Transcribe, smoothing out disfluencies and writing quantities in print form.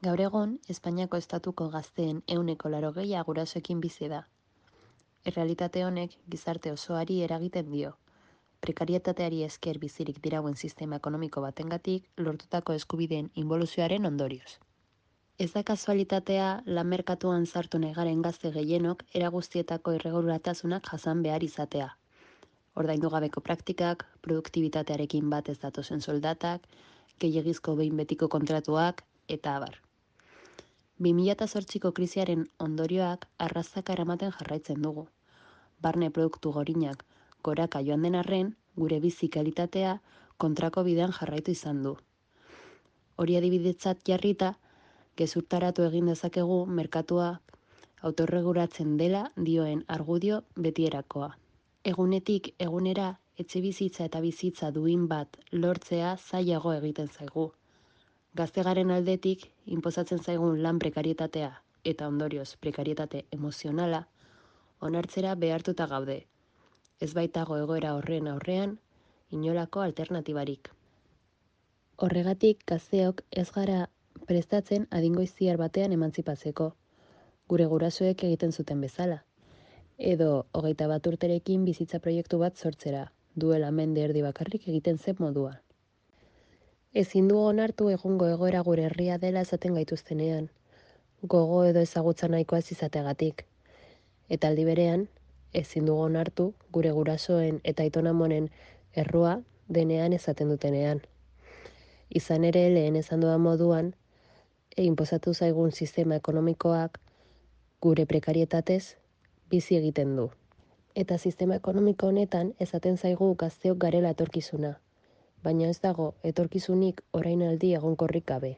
Gaur egun, Espainiako estatuko gazteen 80% gurasoekin bizi da. Errealitate honek gizarte osoari eragiten dio. Prekarietateari esker bizirik dirauen sistema ekonomiko batengatik lortutako eskubideen inboluzioaren ondorioz. Ez da kasualitatea lan merkatuan sartu negaren gazte gehienok era guztietako irregulartasunak jasan behar izatea. Ordaindu gabeko praktikak, produktibitatearekin bat ez datozen soldatak, gehiegizko behin betiko kontratuak, eta abar. 2008ko krisiaren ondorioak arrastaka eramaten jarraitzen dugu. Barne produktu gorinak goraka joan den arren, gure bizi kalitatea kontrako bidean jarraitu izan du. Hori adibidetzat jarrita, gezurtaratu egin dezakegu merkatua autorregulatzen dela dioen argudio betierakoa. Egunetik egunera etxebizitza eta bizitza duin bat lortzea zailago egiten zaigu. Gaztegaren aldetik, inposatzen zaigun lan prekarietatea eta ondorioz prekarietate emozionala onartzera behartuta gaude. Ez baitago egoera horren aurrean inolako alternatibarik. Horregatik gazteok ez gara prestatzen adingoiziar batean emantzipatzeko, gure gurasoek egiten zuten bezala. Edo 21 urterekin bizitza proiektu bat sortzera, duela mende erdi bakarrik egiten zen moduan. Ezin dugu onartu egungo egoera gure herria dela esaten gaituztenean, gogo edo ezagutza nahikoa ez izateagatik. Eta aldi berean, ezin dugu onartu gure gurasoen eta aitonamonen errua denean esaten dutenean. Izan ere lehen esan dudan moduan, inposatu zaigun sistema ekonomikoak gure prekarietatez bizi egiten du. Eta sistema ekonomiko honetan esaten zaigu gazteok garela etorkizuna, baina ez dago etorkizunik orainaldi egonkorrik gabe.